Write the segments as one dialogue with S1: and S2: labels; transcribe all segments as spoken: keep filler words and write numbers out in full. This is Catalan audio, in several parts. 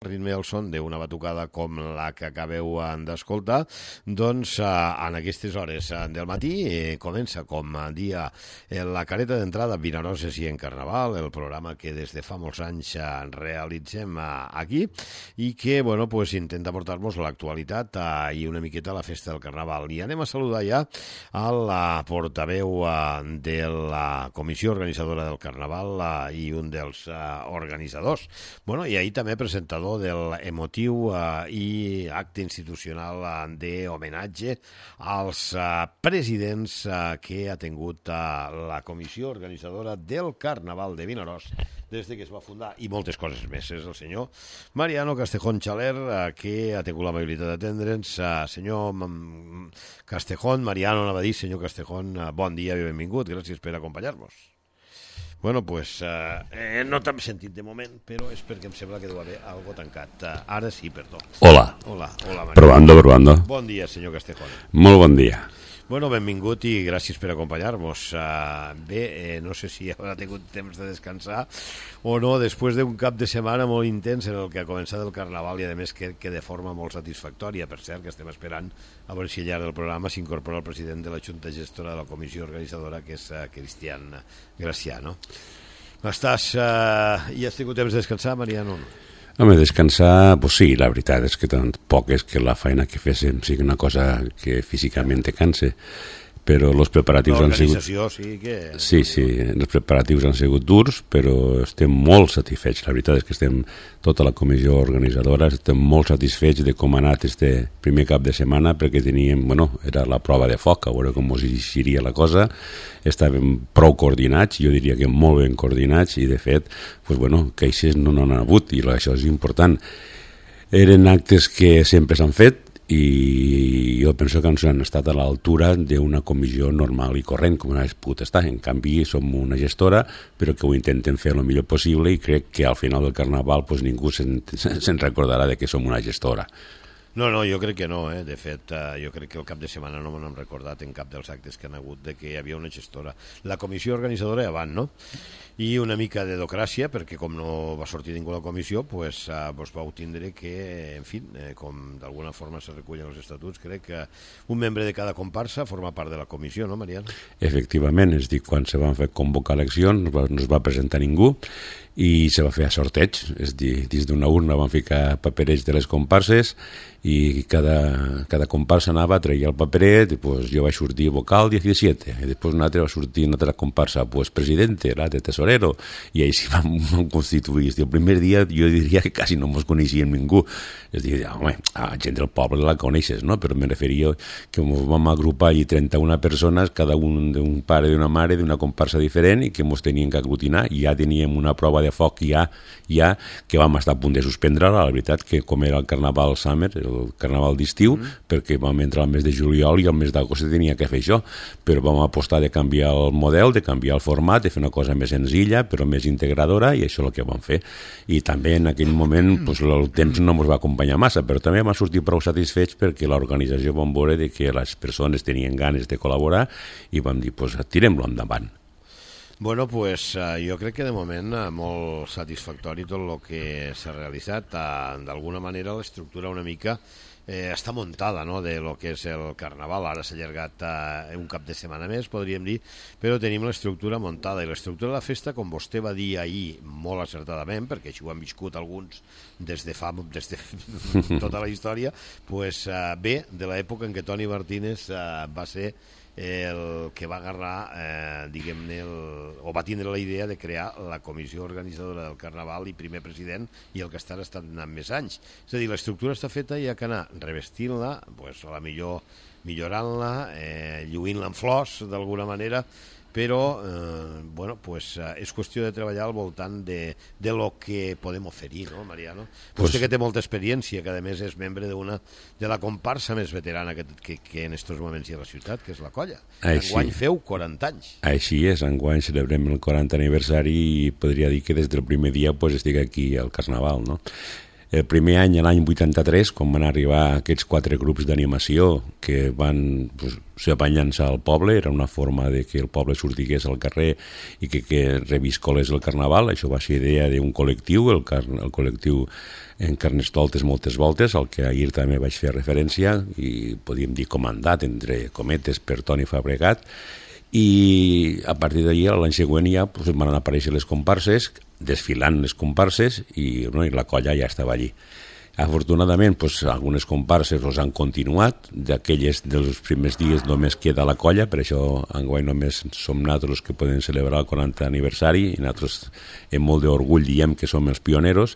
S1: ritme al son d'una batucada com la que acabeu d'escoltar, doncs en aquestes hores del matí comença com a dia la careta d'entrada Vinaròs i en Carnaval, el programa que des de fa molts anys realitzem aquí i que, bueno, pues intenta portar-nos l'actualitat i una miqueta la festa del Carnaval. I anem a saludar ja a la portaveu de la comissió organitzadora del Carnaval i un dels organitzadors. Bueno, i ahir també presentador del emotiu uh, i acte institucional uh, d'homenatge als uh, presidents uh, que ha tingut uh, la comissió organitzadora del Carnaval de Vinaròs des de que es va fundar, i moltes coses més. És el senyor Mariano Castejón Xaler, uh, que ha tingut l'amabilitat d'atendre'ns. Uh, senyor Castejón, Mariano anava a dir, senyor Castejón, uh, bon dia i benvingut, gràcies per acompanyar-nos. Bueno, pues eh, no t'hem sentit de moment, però és perquè em sembla que deu haver algo tancat. Uh, ara sí, perdó.
S2: Hola.
S1: Hola, hola, Maria.
S2: Probando, probando.
S1: Bon dia, senyor Castejón.
S2: Molt bon dia.
S1: Bueno, benvingut i gràcies per acompanyar-nos. Uh, bé, eh, no sé si haurà tingut temps de descansar o no, després d'un cap de setmana molt intens en el que ha començat el Carnaval i, a més, que, que de forma molt satisfactòria. Per cert, que estem esperant a veure si al llarg del programa s'incorpora el president de la Junta Gestora de la comissió organitzadora, que és uh, Cristian Graciano. Estàs... Uh, i has tingut temps de descansar, Mariano?
S2: Home, descansar, pues sí, la veritat és que tampoc és que la feina que féssim sigui una cosa que físicament te canse, però els preparatius han sigut...
S1: L'organització sí que...
S2: Sí, sí, els preparatius han sigut durs, però estem molt satisfets. La veritat és que estem, tota la comissió organitzadora, estem molt satisfets de com ha anat este primer cap de setmana, perquè teníem, bueno, era la prova de foc, a veure com us eixiria la cosa. Estàvem prou coordinats, jo diria que molt ben coordinats, i de fet, pues bueno, queixes no n'han hagut, i això és important. Eren actes que sempre s'han fet, i jo penso que ens han estat a l'altura d'una comissió normal i corrent, com no és pogut estar. En canvi, som una gestora, però que ho intenten fer el millor possible, i crec que al final del Carnaval pues, ningú se'n, se'n recordarà de que som una gestora.
S1: No, no, jo crec que no, eh? De fet, eh, jo crec que el cap de setmana no me n'hem recordat en cap dels actes que han hagut de que hi havia una gestora. La comissió organitzadora avant, no? I una mica de docràcia, perquè com no va sortir ningú a la comissió, pues, eh, pues vau tindre que, en fi, eh, com d'alguna forma se recullen els estatuts, crec que un membre de cada comparsa forma part de la comissió, no, Mariano?
S2: Efectivament, és a dir, quan se van fer convocar eleccions no es va presentar ningú, i se va fer a sorteig, és a dir, dins d'una urna van ficar paperets de les comparses i cada, cada comparsa anava, treia el paperet, i pues, jo vaig sortir vocal disset, i després un altre va sortir una altra comparsa, pues presidente, l'altre tesorero, i així vam, vam constituir. El primer dia jo diria que quasi no ens coneixíem ningú, és a dir, home, a gent del poble la coneixes, no? Però me referia que ens vam agrupar allí trenta-una persones, cada un d'un pare i d'una mare d'una comparsa diferent, i que ens tenien que aglutinar, i ja teníem una prova de foc ja, ja que vam estar a punt de suspendre, la veritat que com era el Carnaval Summer, el Carnaval d'estiu, mm. perquè vam entrar al mes de juliol i al mes d'agost tenia que fer això, però vam apostar de canviar el model, de canviar el format, de fer una cosa més senzilla però més integradora, i això és el que vam fer. I també en aquell moment pues, el temps no ens va acompanyar massa, però també vam sortir prou satisfets perquè l'organització vam veure de que les persones tenien ganes de col·laborar i vam dir, pues, tirem-lo endavant.
S1: Bueno, pues uh, jo crec que de moment uh, molt satisfactori tot el que s'ha realitzat. Uh, d'alguna manera l'estructura una mica eh, està muntada, no?, de lo que és el Carnaval. Ara s'ha allargat uh, un cap de setmana més, podríem dir, però tenim l'estructura muntada. I l'estructura de la festa, com vostè va dir ahir molt acertadament, perquè així ho han viscut alguns des de fa des de tota la història, pues, uh, bé, de l'època en què Toni Martínez uh, va ser el que va agarrar, eh, diguem-ne, el, o va tindre la idea de crear la comissió organitzadora del Carnaval i primer president, i el que està estat anant més anys. És a dir, l'estructura està feta i hi ha que anar revestint-la, pues, a la millor millorant-la, eh, lluint-la en flors d'alguna manera, però eh, bueno, pues, eh, és qüestió de treballar al voltant de, de lo que podem oferir, no, Mariano? Pues, vostè que té molta experiència, que a més és membre d'una de la comparsa més veterana que, que, que en estos moments hi ha a la ciutat, que és la Colla.
S2: Així,
S1: enguany feu quaranta anys.
S2: Així és, enguany celebrem el quaranta aniversari i podria dir que des del primer dia pues, estic aquí al Carnaval, no? El primer any, l'any vuitanta-tres, quan van arribar aquests quatre grups d'animació que van pues, ser apanyant-se al poble, era una forma de que el poble sortigués al carrer i que, que reviscolés el carnaval. Això va ser idea d'un col·lectiu, el, car el col·lectiu en Carnestoltes moltes voltes, al que ahir també vaig fer referència, i podíem dir comandat, entre cometes, per Toni Fabregat, i a partir d'allà l'any següent ja pues, van aparèixer les comparses, desfilant les comparses, i, no, i la colla ja estava allí. Afortunadament, pues, algunes comparses pues, han continuat, d'aquelles dels primers dies només queda la colla, per això enguany només som nosaltres que podem celebrar el quaranta aniversari, i nosaltres amb molt d'orgull diem que som els pioneros,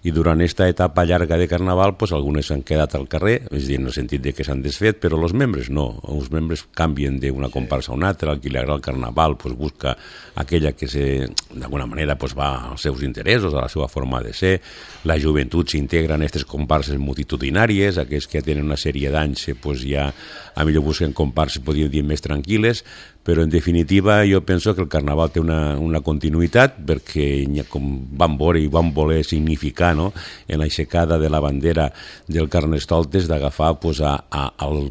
S2: i durant aquesta etapa llarga de carnaval pues, algunes s'han quedat al carrer, és a dir, en el sentit de que s'han desfet, però els membres no, els membres canvien d'una comparsa a una altra, el que li agrada el carnaval pues, busca aquella que d'alguna manera pues, va als seus interessos, a la seva forma de ser, la joventut s'integra en aquestes comparses multitudinàries, aquells que tenen una sèrie d'anys pues, ja a millor busquen comparses, podríem dir, més tranquil·les, però en definitiva jo penso que el carnaval té una, una continuïtat perquè com vam veure i vam voler significar no? En l'aixecada de la bandera del Carnestoltes d'agafar pues, a, a, al,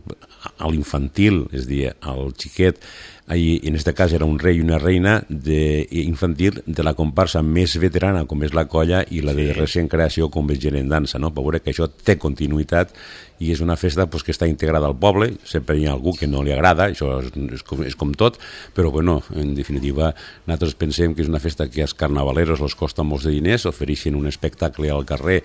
S2: a l'infantil, és a dir, al xiquet, i en aquest cas era un rei i una reina de, infantil de la comparsa més veterana com és la colla i la de sí. recent creació com és Gent en Dansa, no? Per veure que això té continuïtat i és una festa pues, que està integrada al poble, sempre hi ha algú que no li agrada, això és, és, com, és com tot, però bueno, en definitiva nosaltres pensem que és una festa que als carnavaleros els costa molts de diners, ofereixen un espectacle al carrer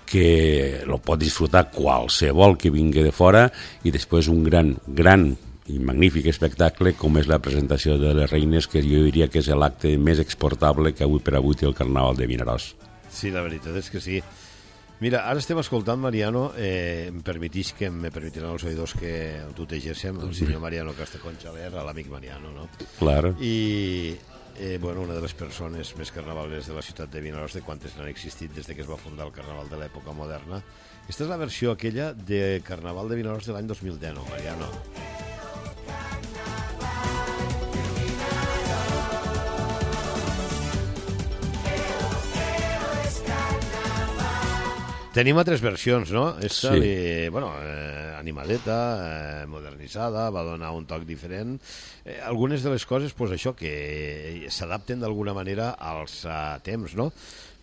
S2: que lo pot disfrutar qualsevol que vingui de fora i després un gran, gran i magnífic espectacle com és la presentació de les reines, que jo diria que és l'acte més exportable que avui per avui té el Carnaval de Vinaròs.
S1: Sí, la veritat és que sí. Mira, ara estem escoltant, Mariano, eh, em permetís que me permetiran els oïdors que el tutegéssim, el senyor Mariano Castejón Xaler, l'amic Mariano, no?
S2: Claro.
S1: I, eh, bueno, una de les persones més carnavaleres de la ciutat de Vinaròs, de quantes n'han existit des de que es va fundar el Carnaval de l'època moderna. Aquesta és la versió aquella de Carnaval de Vinaròs de l'any dos mil deu, Mariano. Tenim altres versions, no? Esta,
S2: sí.
S1: li, bueno, eh, animadeta, eh, modernitzada, va donar un toc diferent. Eh, algunes de les coses, pues això, que s'adapten d'alguna manera als uh, temps, no?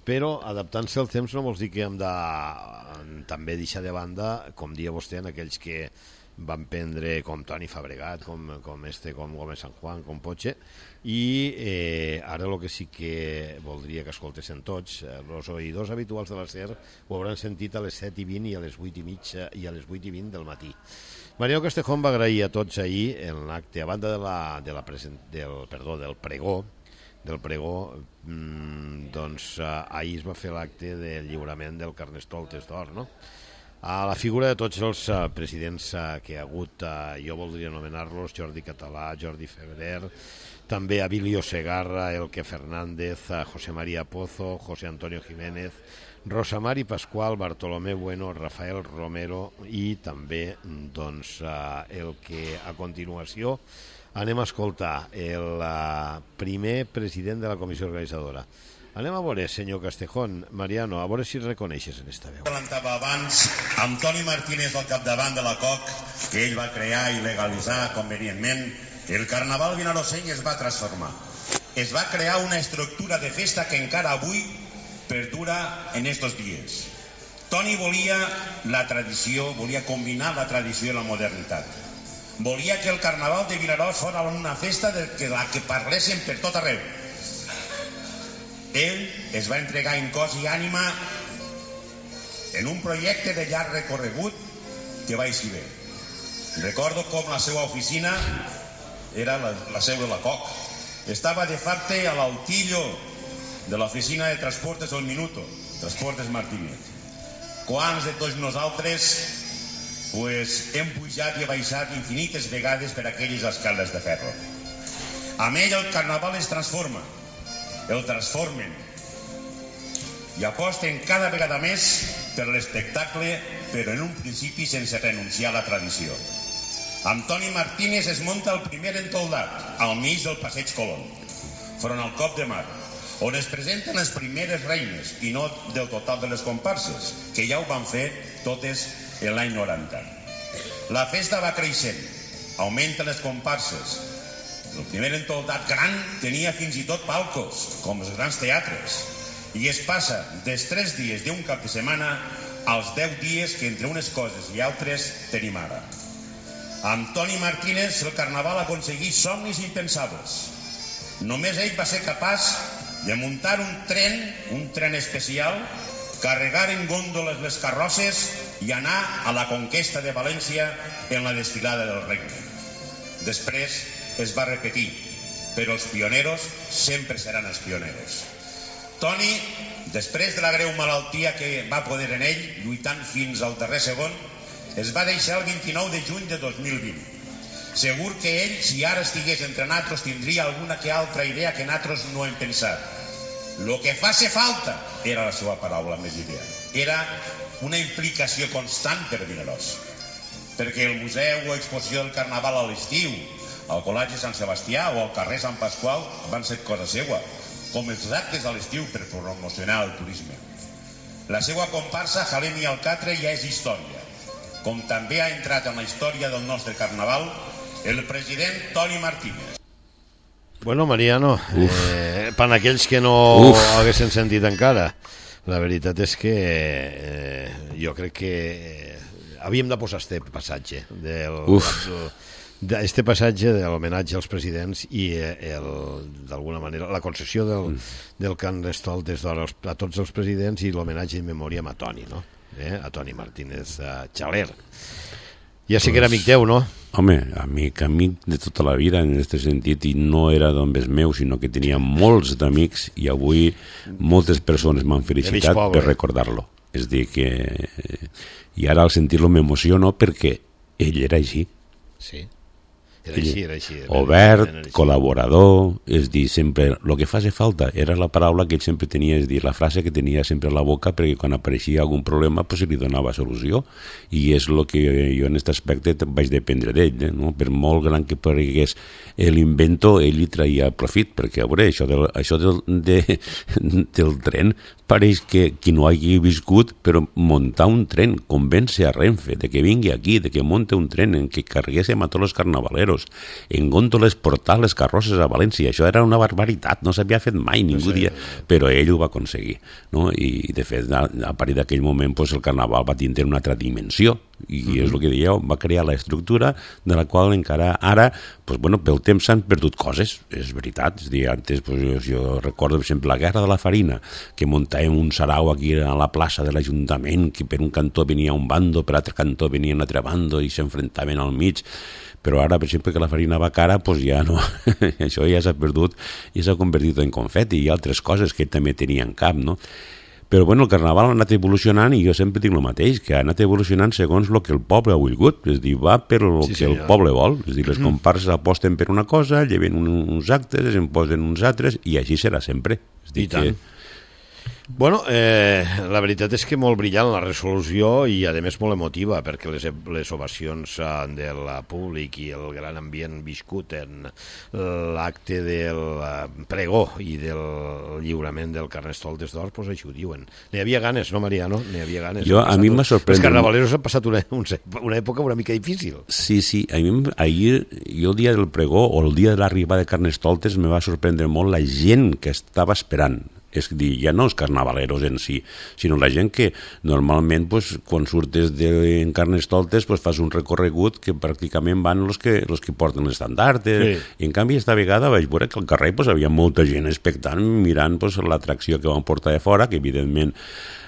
S1: Però adaptant-se al temps no vols dir que hem de també deixar de banda, com dia vostè, en aquells que van prendre com Toni Fabregat, com, com este, com Gómez San Juan, com Poche, i eh, ara el que sí que voldria que escoltessin tots, els eh, oïdors habituals de la SER ho hauran sentit a les set i vint i a les vuit i mitja i a les vuit i vint del matí. Mariano Castejón va agrair a tots ahir en l'acte, a banda de la, de la present, del, perdó, del pregó, del pregó, mmm, doncs eh, ahir es va fer l'acte del lliurament del Carnestoltes d'Or, no? A la figura de tots els uh, presidents uh, que hi ha hagut, uh, jo voldria anomenar-los Jordi Català, Jordi Febrer, també Abilio Segarra, Elke Fernández, uh, José María Pozo, José Antonio Jiménez, Rosa Mari Pascual, Bartolomé Bueno, Rafael Romero i també doncs, uh, el que a continuació anem a escoltar el uh, primer president de la comissió organitzadora. Anem a veure, senyor Castejón, Mariano, a veure si reconeixes en esta veu.
S3: Parlava abans amb Toni Martínez al capdavant de la C O C, que ell va crear i legalitzar convenientment, el Carnaval vinaroseny es va transformar. Es va crear una estructura de festa que encara avui perdura en estos dies. Toni volia la tradició, volia combinar la tradició i la modernitat. Volia que el Carnaval de Vinaròs fos una festa de la que parlessin per tot arreu. Ell es va entregar en cos i ànima en un projecte de llarg recorregut que va eixir bé. Recordo com la seva oficina era la, la seu de la C O C. Estava de facte a l'altillo de l'oficina de Transportes El Minuto, Transportes Martínez. Quants de tots nosaltres pues, hem pujat i baixat infinites vegades per aquelles escales de ferro. Amb ell el Carnaval es transforma. El transformen i aposten cada vegada més per l'espectacle, però en un principi sense renunciar a la tradició. Amb Toni Martínez es munta el primer entoldat al mig del Passeig Colón, front al Cop de Mar, on es presenten les primeres reines i no del total de les comparses, que ja ho van fer totes en l'any noranta. La festa va creixent, augmenten les comparses. El primer entoldat gran tenia fins i tot palcos, com els grans teatres, i es passa dels tres dies d'un cap de setmana als deu dies que entre unes coses i altres tenim ara. Amb Toni Martínez el carnaval aconseguí somnis impensables. Només ell va ser capaç de muntar un tren, un tren especial, carregar en gòndoles les carrosses i anar a la conquesta de València en la desfilada del regne. Després es va repetir, però els pioneros sempre seran els pioneros. Toni, després de la greu malaltia que va poder en ell, lluitant fins al darrer segon, es va deixar el vint-i-nou de juny de dos mil vint. Segur que ell, si ara estigués entre nosaltres, tindria alguna que altra idea que nosaltres no hem pensat. Lo que fa ser falta era la seva paraula més ideal. Era una implicació constant per Vinaròs. Perquè el museu o exposició del carnaval a l'estiu, al Col·legi Sant Sebastià o al carrer Sant Pasqual van ser cosa seva, com els actes a l'estiu per promocionar el turisme. La seva comparsa Jalem i Alcatre ja és història, com també ha entrat en la història del nostre carnaval el president Toni Martínez.
S1: Bueno, Mariano, eh, per a aquells que no Uf. haguessin sentit encara, la veritat és que eh, jo crec que eh, havíem de posar este passatge del, este passatge de l'homenatge als presidents i eh, d'alguna manera la concessió del, mm. del Carnestoltes d'Or a tots els presidents i l'homenatge in memòria a Toni, no? Eh? A Toni Martínez a Xaler. Ja sé pues, que era amic teu, no?
S2: Home, amic, amic de tota la vida en aquest sentit, i no era d'homes meu, sinó que tenia molts d'amics i avui moltes persones m'han felicitat per recordar-lo. És dir, que... I ara al sentir-lo m'emociono perquè ell era així.
S1: Sí. Era així, era així. Era
S2: obert, era així. Col·laborador, és dir, sempre... El que fa ser falta era la paraula que ell sempre tenia, és dir, la frase que tenia sempre a la boca perquè quan apareixia algun problema pues, se li donava solució. I és el que jo en aquest aspecte vaig dependre d'ell, eh, no? Per molt gran que paregués l'invento, ell li traia profit, perquè a veure, això del, això del, de, del tren pareix que qui no hagi viscut, però muntar un tren, convèncer a Renfe de que vingui aquí, de que munte un tren en què carreguéssim a tots els carnavaleros, en gòndoles portar les carrosses a València, això era una barbaritat, no s'havia fet mai, ningú no sé, dia, però ell ho va aconseguir, no? I de fet, a, a partir d'aquell moment pues, el carnaval va tindre una altra dimensió, i uh-huh. és el que dieu, va crear la estructura de la qual encara ara, pues, bueno, pel temps s'han perdut coses, és veritat, és dir, antes pues, jo, jo recordo, per exemple, la Guerra de la Farina, que muntàvem un sarau aquí a la plaça de l'Ajuntament, que per un cantó venia un bando, per l'altre cantó venia un altre bando i s'enfrontaven al mig, però ara, per exemple, que la farina va cara, pues ja no, això ja s'ha perdut i s'ha convertit en confeti i altres coses que també tenien cap, no? Però bueno, el carnaval ha anat evolucionant i jo sempre dic el mateix, que ha anat evolucionant segons el que el poble ha volgut, és dir, va per el sí, que el poble vol, és dir, les comparses aposten per una cosa, lleven uns actes, en posen uns altres i així serà sempre. És dir,
S1: I tant. Que... Bueno, eh, la veritat és que molt brillant la resolució i a més molt emotiva perquè les, les ovacions del públic i el gran ambient viscut en l'acte del pregó i del lliurament del Carnestoltes d'Or, doncs això ho diuen. N'hi havia ganes, no, Mariano? N'hi havia ganes.
S2: Jo, a mi m'ha sorprès...
S1: Els carnavaleros han passat una, una època una mica difícil.
S2: Sí, sí. A mi, ahir, jo el dia del pregó o el dia de l'arribada de Carnestoltes me va sorprendre molt la gent que estava esperant. És dir, ja no els carnavaleros en si, sinó la gent que normalment pues, quan surtes de Carnestoltes pues, fas un recorregut que pràcticament van els que, els que porten l'estandard. Sí. I en canvi esta vegada vaig veure que al carrer pues, havia molta gent expectant mirant pues, l'atracció que van portar de fora, que evidentment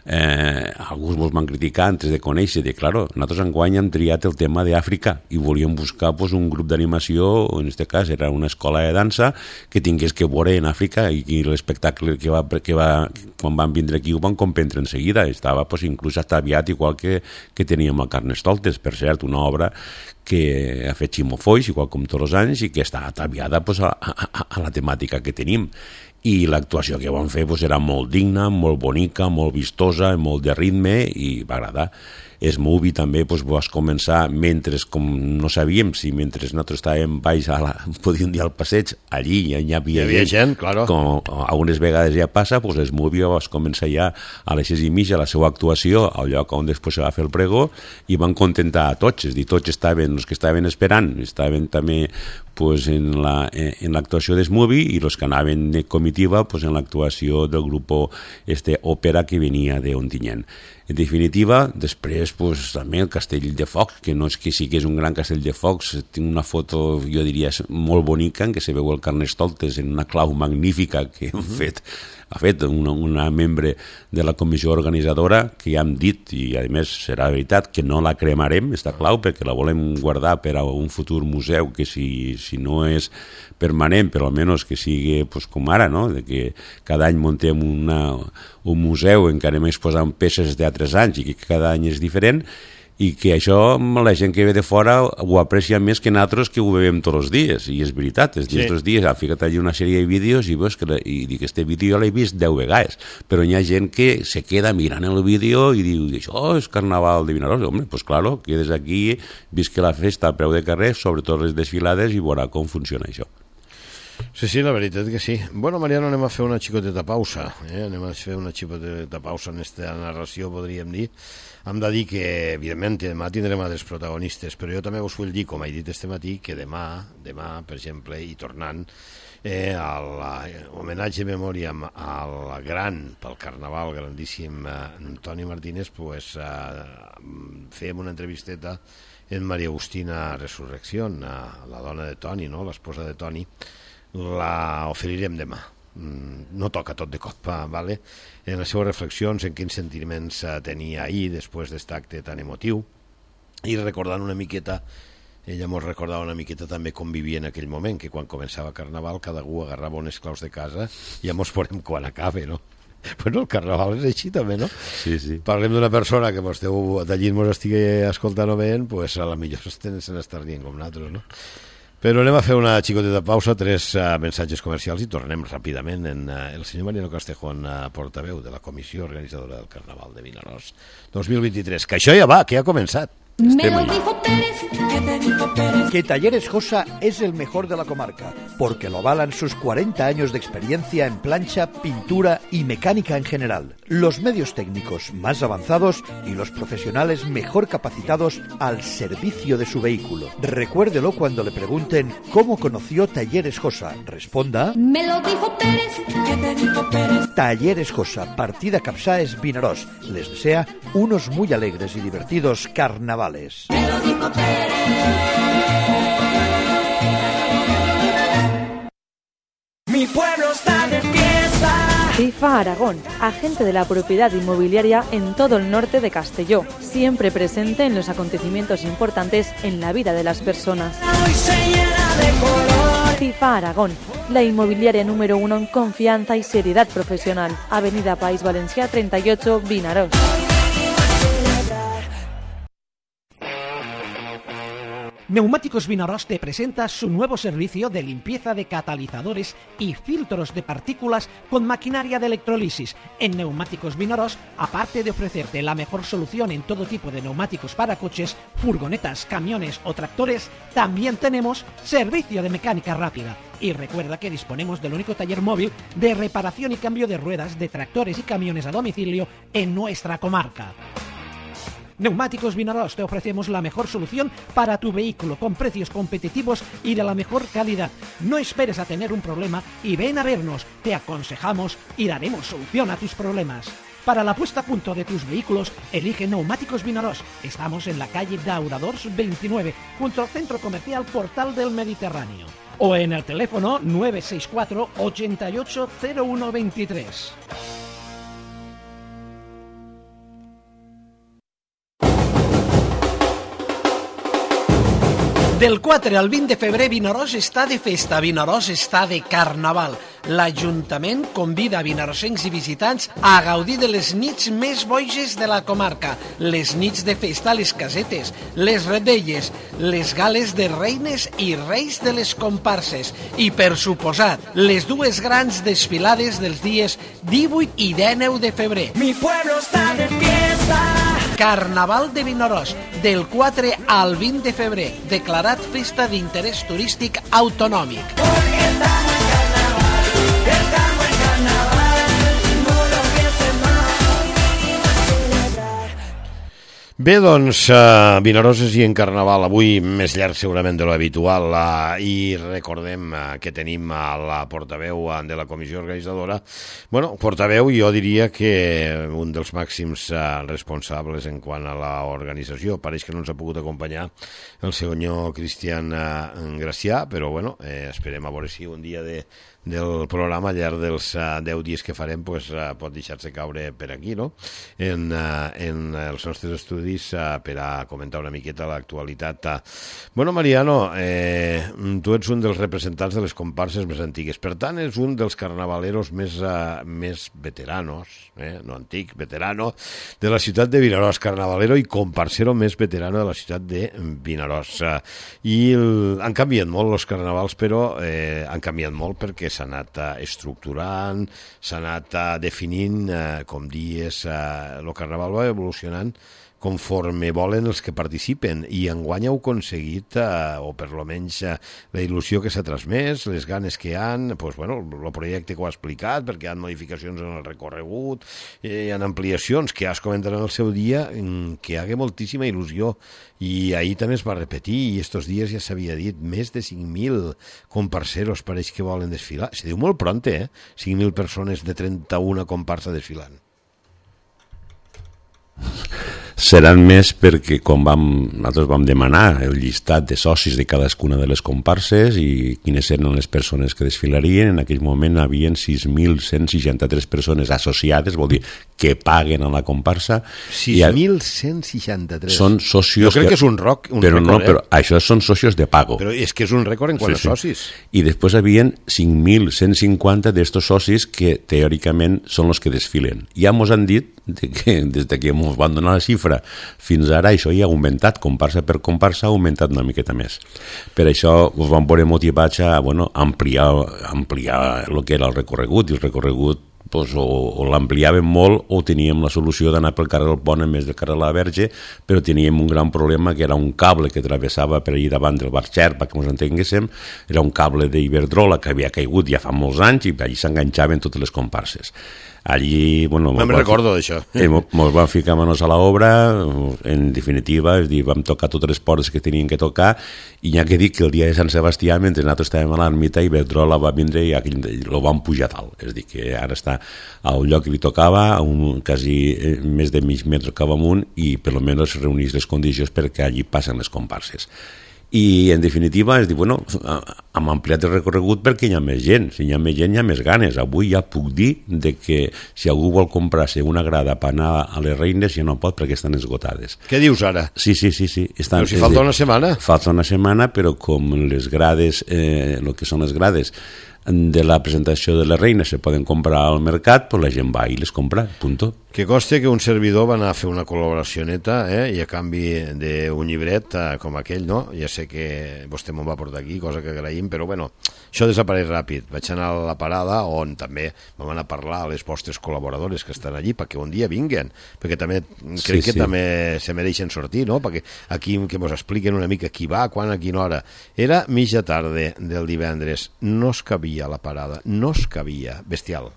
S2: eh, alguns mos van criticar antes de conèixer, de claro, nosaltres enguany hem triat el tema d'Àfrica i volíem buscar pues, un grup d'animació, o en aquest cas era una escola de dansa que tingués que veure en Àfrica i, i l'espectacle que va, que va, quan van vindre aquí ho van comprendre en seguida, estava pues, inclús ataviat igual que, que teníem a Carnestoltes, per cert, una obra que ha fet Ximo Foix, igual com tots els anys, i que està ataviada pues, a, a, a la temàtica que tenim. I l'actuació que van fer pues, era molt digna, molt bonica, molt vistosa, molt de ritme, i va agradar. Es Movie també pues, vas començar mentre, com no sabíem si mentre nosaltres estàvem baix a la, podíem dir al passeig, allí ja hi havia,
S1: hi havia gent, gent claro.
S2: Com algunes vegades ja passa, pues, Es Movie vas començar ja a les sis i mitja la seva actuació al lloc on després se va fer el pregó i van contentar a tots, és dir, tots estaven, els que estaven esperant, estaven també pues, en la, en l'actuació d'Es Movie i els que anaven de comitiva pues, en l'actuació del grup este òpera que venia d'Ontinyent. En definitiva, després pues, també el Castell de Focs, que no és que sí que és un gran castell de focs, tinc una foto, jo diria, molt bonica en què se veu el Carnestoltes en una clau magnífica que hem uh-huh. fet, ha fet una, una membre de la comissió organitzadora, que ja hem dit, i a més serà veritat, que no la cremarem, esta clau, perquè la volem guardar per a un futur museu que si, si no és permanent, però almenys que sigui pues, com ara, no? De que cada any muntem una, un museu en què anem exposant peces d'altres anys i que cada any és diferent, i que això la gent que ve de fora ho aprecia més que nosaltres que ho veiem tots els dies, i és veritat, els dies, sí. Tots dies, ha ficat allà una sèrie de vídeos i veus que la, i dic, este vídeo l'he vist deu vegades, però hi ha gent que se queda mirant el vídeo i diu, això és Carnaval de Vinaròs, home, pues claro, quedes aquí, visca la festa al peu de carrer, sobretot les desfilades, i veurà com funciona això.
S1: Sí, sí, la veritat que sí. Bueno, Mariano, anem a fer una xicoteta pausa, eh? anem a fer una xicoteta pausa en aquesta narració, podríem dir. Hem de dir que, evidentment, demà tindrem altres protagonistes, però jo també us vull dir, com he dit este matí, que demà, demà, per exemple, i tornant, eh, a l'homenatge de memòria al gran, pel Carnaval, grandíssim eh, Toni Martínez, pues, eh, fem una entrevisteta en Maria Agustina Resurrección, la dona de Toni, no? L'esposa de Toni, la oferirem demà. No toca tot de cop, vale? En les seves reflexions, en quins sentiments tenia ahir després d'aquest acte tan emotiu, i recordant una miqueta, ella mos recordava una miqueta també com vivia en aquell moment, que quan començava Carnaval cada algú agarrava unes claus de casa i ja mos veurem quan acabe, no? Bueno, el Carnaval és així també, no?
S2: Sí, sí.
S1: Parlem d'una persona que mos deu, d'allí mos estigui escoltant o veient, pues a la millor se n'estar dient com nosaltres, no? Però anem a fer una xicoteta pausa, tres uh, mensatges comercials i tornem ràpidament en uh, el senyor Mariano Castejón, uh, portaveu de la comissió organitzadora del Carnaval de Vinaròs dos mil vint-i-tres, que això ja va, que ja ha començat.
S4: Me lo dijo Pérez, que te dijo Pérez.
S5: Que Talleres Josa es el mejor de la comarca, porque lo avalan sus cuarenta años de experiencia en plancha, pintura y mecánica en general. Los medios técnicos más avanzados y los profesionales mejor capacitados al servicio de su vehículo. Recuérdelo cuando le pregunten cómo conoció Talleres Josa. Responda:
S4: Me lo dijo Pérez, que te dijo Pérez.
S5: Talleres Josa, partida Capsáes Vinaròs. Les desea unos muy alegres y divertidos carnavales.
S4: Me lo dijo Pérez. Mi pueblo está de fiesta.
S6: FIFA Aragón, agente de la propiedad inmobiliaria en todo el norte de Castelló, siempre presente en los acontecimientos importantes en la vida de las personas.
S4: Hoy se llena de color.
S6: FIFA Aragón, la inmobiliaria número uno en confianza y seriedad profesional. Avenida País Valencià treinta y ocho, Vinaròs.
S7: Neumáticos Vinaròs te presenta su nuevo servicio de limpieza de catalizadores y filtros de partículas con maquinaria de electrolisis. En Neumáticos Vinaròs, aparte de ofrecerte la mejor solución en todo tipo de neumáticos para coches, furgonetas, camiones o tractores, también tenemos servicio de mecánica rápida. Y recuerda que disponemos del único taller móvil de reparación y cambio de ruedas de tractores y camiones a domicilio en nuestra comarca. Neumáticos Vinaròs, te ofrecemos la mejor solución para tu vehículo con precios competitivos y de la mejor calidad. No esperes a tener un problema y ven a vernos. Te aconsejamos y daremos solución a tus problemas. Para la puesta a punto de tus vehículos, elige Neumáticos Vinaròs. Estamos en la calle Dauradors veintinueve, junto al Centro Comercial Portal del Mediterráneo. O en el teléfono nueve seis cuatro, ochenta y ocho, cero uno veintitrés. Del quatre al vint de febrer, Vinaròs està de festa, Vinaròs està de carnaval. L'Ajuntament convida a vinarossencs i visitants a gaudir de les nits més boges de la comarca, les nits de festa a les casetes, les revetlles, les gales de reines i reis de les comparses i, per suposat, les dues grans desfilades dels dies divuit i dinou de febrer.
S4: Mi pueblo está de fiesta.
S7: Carnaval de Vinaròs, del quatre al vint de febrer, declarat festa d'interès turístic autonòmic.
S4: Porque estamos en carnaval, estamos en carnaval, no lo pienses más, vinimos a celebrar.
S1: Bé, doncs, uh, Vinaròs i en Carnaval, avui més llarg segurament de l'habitual, uh, i recordem uh, que tenim a la portaveu uh, de la comissió organitzadora, bueno, portaveu, jo diria que un dels màxims uh, responsables en quant a l'organització. Pareix que no ens ha pogut acompanyar el senyor Cristian uh, Gracià, però bueno, eh, esperem a veure si un dia de del programa al llarg dels uh, deu dies que farem pues, uh, pot deixar-se caure per aquí, no? En, uh, en els nostres estudis uh, per a comentar una miqueta l'actualitat. Uh. Bueno, Mariano, eh, tu ets un dels representants de les comparses més antigues, per tant és un dels carnavaleros més, uh, més veteranos, eh? no antic, veterano, de la ciutat de Vinaròs, carnavalero i comparsero més veterano de la ciutat de Vinaròs. Uh, I el, han canviat molt els carnavals, però eh, han canviat molt perquè s'ha anat uh, estructurant, s'ha anat uh, definint, uh, com dies, uh, el carnaval va evolucionant conforme volen els que participen, i enguany heu aconseguit, eh, o per lo menys eh, la il·lusió que s'ha transmès, les ganes que hi ha, pues, bueno, el projecte que ho ha explicat, perquè hi ha modificacions en el recorregut, eh, hi ha ampliacions que has comentat en el seu dia, que hi ha moltíssima il·lusió, i ahir també es va repetir, i estos dies ja s'havia dit, més de cinc mil comparseros pareix que volen desfilar. Se diu molt pronte, eh? cinc mil persones de trenta-una comparsa desfilant.
S2: Seran més perquè com vam, nosaltres vam demanar el llistat de socis de cadascuna de les comparses i quines eren les persones que desfilarien, en aquell moment hi havia sis mil cent seixanta-tres persones associades, vol dir que paguen a la comparsa.
S1: sis mil cent seixanta-tres.
S2: Són socios...
S1: Jo crec que, que és un, roc, un
S2: però
S1: rècord,
S2: no,
S1: eh?
S2: però això són socios de pago.
S1: Però és que és un rècord en quant
S2: sí,
S1: a socis.
S2: Sí. I després hi havia cinc mil cent cinquanta d'estos socis que teòricament són els que desfilen. Ja mos han dit de que des que ens van donar la xifra fins ara això ja ha augmentat, comparsa per comparsa ha augmentat una miqueta més. Per això ens vam veure motivats a bueno, ampliar, ampliar el que era el recorregut, i el recorregut pues, o, o l'ampliàvem molt o teníem la solució d'anar pel carrer del Pont en més del carrer de la Verge, però teníem un gran problema que era un cable que travessava per allà davant del bar Xer, perquè ens entenguéssim, era un cable d'Iberdrola que havia caigut ja fa molts anys i allí s'enganxaven totes les comparses. Allí, bueno...
S1: Me'n recordo d'això.
S2: Eh, Ens vam ficar manos a l'obra, en definitiva, és dir, vam tocar totes les portes que tenien que tocar, i ja que dic que el dia de Sant Sebastià, mentre nosaltres estàvem a l'ermita, Iberdrola va vindre i aquell, lo van pujar dalt. És dir, que ara està al lloc que li tocava, a un, quasi més de mig metre cap amunt, i per almenys reunís les condicions perquè allí passen les comparses. I en definitiva és dir, bueno, hem ampliat el recorregut perquè hi ha més gent, si hi ha més gent hi ha més ganes. Avui ja puc dir de que si algú vol comprar-se una grada per anar a les Reines ja no pot perquè estan esgotades.
S1: Què dius ara?
S2: Sí, sí, sí, sí. Estan,
S1: però si falta una setmana.
S2: Falta una setmana, però com les grades, eh, el que són les grades de la presentació de les Reines se poden comprar al mercat, pues la gent va i les compra, punto.
S1: Que coste que un servidor va anar a fer una col·laboració neta, eh, i a canvi d'un llibret eh, com aquell, no? Ja sé que vostè me'n va portar aquí, cosa que agraïm, però bueno, això desapareix ràpid. Vaig anar a la parada on també vam anar a parlar a les vostres col·laboradores que estan allí perquè un dia vinguen, perquè també crec sí, que sí. també se mereixen sortir, no? Perquè aquí que mos expliquen una mica qui va, quan, a quina hora. Era mitja tarda del divendres, no es cabia a la parada, no es cabia, bestial.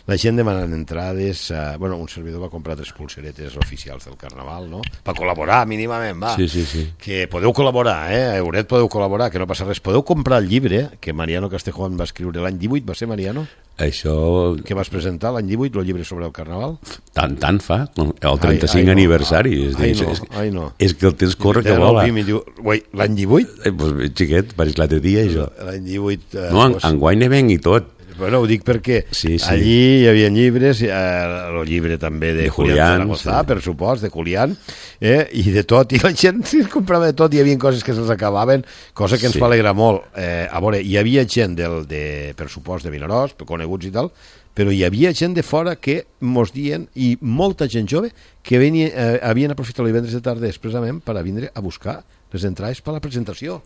S1: La gent demanant entrades, eh, bueno, un servidor va comprar tres pulseretes oficials del Carnaval, no? Per col·laborar, mínimament, va.
S2: Sí, sí, sí.
S1: Que podeu col·laborar, eh? A Euret podeu col·laborar, que no passa res. Podeu comprar el llibre que Mariano Castejón va escriure l'any divuit, va ser, Mariano?
S2: Això...
S1: Que vas presentar l'any divuit, el llibre sobre el Carnaval?
S2: Tant, tant fa, el trenta-cinc ai, ai, aniversari.
S1: No,
S2: és,
S1: ai,
S2: és,
S1: no,
S2: és,
S1: ai, no.
S2: És que el temps corre que vola.
S1: L'any divuit?
S2: Eh, pues, xiquet, pareix l'altre dia, això.
S1: L'any divuit... Eh,
S2: no, en, enguany ne venc i tot.
S1: Bueno, ho dic perquè
S2: Sí, sí.
S1: allí hi havia llibres, eh, el llibre també de,
S2: De
S1: Julián
S2: Julián,
S1: Zaragoza,
S2: sí.
S1: per supost, de Julián, eh, i de tot, i la gent sí, comprava de tot, hi havia coses que se'ls acabaven, cosa que ens
S2: Sí.
S1: va alegrar molt. Eh, a veure, hi havia gent del, de, per supost, de Vinaròs, coneguts i tal, però hi havia gent de fora que mos dien, i molta gent jove, que venia, eh, havien aprofitat el divendres de tarda expressament per a vindre a buscar les entrades per a la presentació.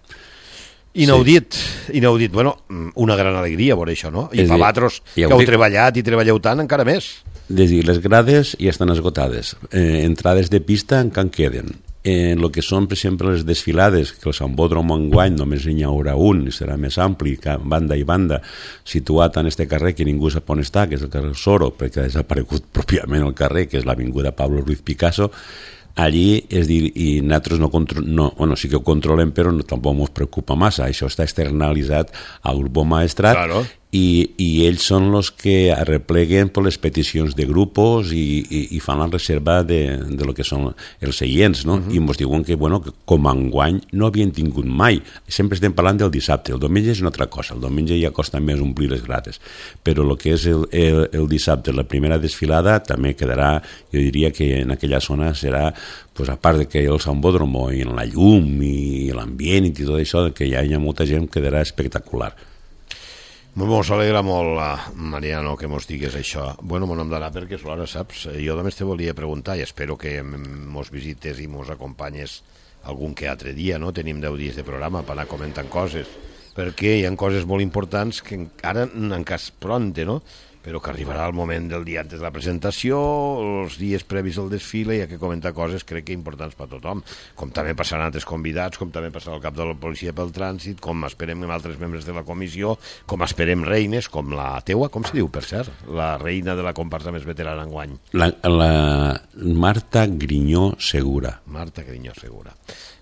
S1: Inaudit, sí. inaudit. Bueno, una gran alegria veure això, no? I
S2: És
S1: per
S2: dir,
S1: vosaltres,
S2: ja
S1: que
S2: ho
S1: heu
S2: dic.
S1: treballat i treballeu tant, encara més.
S2: És dir, les grades ja estan esgotades. Eh, entrades de pista encara queden. En el que són, per exemple, les desfilades, que el Sambódromo enguany només n'hi haurà un, i serà més ampli, banda i banda, situat en este carrer que ningú sap on està, que és el carrer Soro, perquè ha desaparegut pròpiament el carrer, que és l'avinguda Pablo Ruiz Picasso. Allí, és dir, i nosaltres no, contro no, bueno, sí que ho controlem, però no, tampoc ens preocupa massa. Això està externalitzat al grup maestrat,
S1: Claro.
S2: i, i ells són els que arrepleguen per les peticions de grupos i, i, i fan la reserva de, de lo que són els seients, no? Uh-huh. I ens diuen que, bueno, que com a enguany no havien tingut mai. Sempre estem parlant del dissabte, el diumenge és una altra cosa, el diumenge ja costa més omplir les grades, però el que és el, el, el dissabte, la primera desfilada, també quedarà, jo diria que en aquella zona serà, pues, a part de que el Sambódromo i en la llum i l'ambient i tot això, que ja hi ha molta gent, quedarà espectacular.
S1: Mos alegra molt, Mariano, que mos digues això. Bueno, mon nom d'anar perquè és l'hora, saps? Jo només te volia preguntar, i espero que mos visites i mos acompanyes algun que altre dia, no? Tenim deu dies de programa per anar comentant coses, perquè hi ha coses molt importants que ara encara és pronte, no? Però que arribarà el moment del dia antes de la presentació, els dies previs al desfile, hi ha que comentar coses, crec que importants per a tothom, com també passaran altres convidats, com també passarà el cap de la policia pel trànsit, com esperem amb altres membres de la comissió, com esperem reines, com la teua, com se diu, per cert, la reina de la comparsa més veterana enguany.
S2: La, la Marta Grinyó Segura.
S1: Marta Grinyó Segura.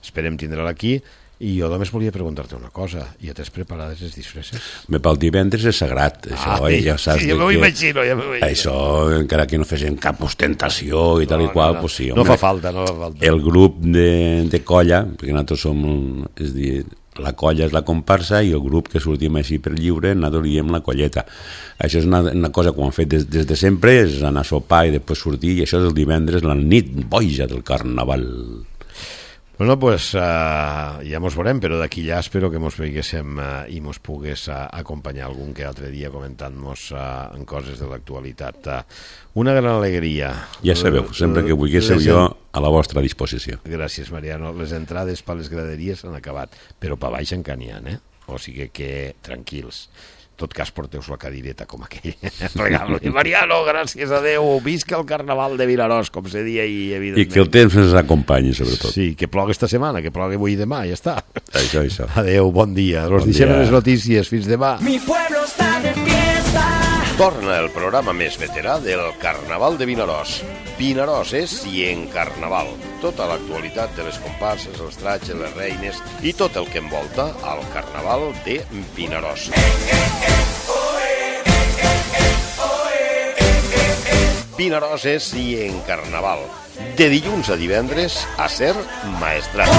S1: Esperem tindre-la aquí. I jo només volia preguntar-te una cosa. Ja tens preparades les disfresses?
S2: Bé, pel divendres és sagrat. Això,
S1: Ah,
S2: ja saps
S1: sí, ja
S2: de
S1: m'ho
S2: que
S1: imagino, ja m'ho imagino.
S2: Això, encara que no fessin cap ostentació i tal
S1: No,
S2: i qual,
S1: no, no.
S2: pues sí,
S1: No
S2: home,
S1: fa falta, no fa falta.
S2: el grup de, de colla, perquè nosaltres som, és dir, la colla és la comparsa i el grup que sortim així per lliure, nosaltres diem la colleta. Això és una, una cosa que ho han fet des, des de sempre, és anar a sopar i després sortir, i això és el divendres, la nit boja del carnaval.
S1: Bueno, pues uh, ja mos veurem, però d'aquí ja espero que mos veiguéssim uh, i mos pogués uh, acompanyar algun que altre dia comentant-nos uh, en coses de l'actualitat. Uh, una gran alegria.
S2: Ja sabeu, sempre que vulguéssiu
S1: Les
S2: jo
S1: en-
S2: a la vostra disposició.
S1: Gràcies, Mariano. Les entrades per les graderies s'han acabat, però per baix encara n'hi ha, eh? O sigui que tranquils. En tot cas, porteu-vos la cadireta com aquell. Regalo. I Mariano, gràcies a Déu. Visca el carnaval de Vinaròs, com se dia i evidentment.
S2: I que el temps ens acompanyi, sobretot.
S1: Sí, que plogui esta setmana, que plogui avui i demà, ja està.
S2: Això, això.
S1: Adéu, bon dia. Los
S2: Bon
S1: deixem
S2: dia.
S1: en les notícies. Fins demà.
S4: Mi pueblo está de fiesta.
S1: Torna el programa més veterà del Carnaval de Vinaròs. Vinaròs és i en Carnaval. Tota l'actualitat de les comparses, els tratges, les reines i tot el que envolta al Carnaval de Vinaròs. Vinaròs és i en Carnaval. De dilluns a divendres a Ser Maestrat.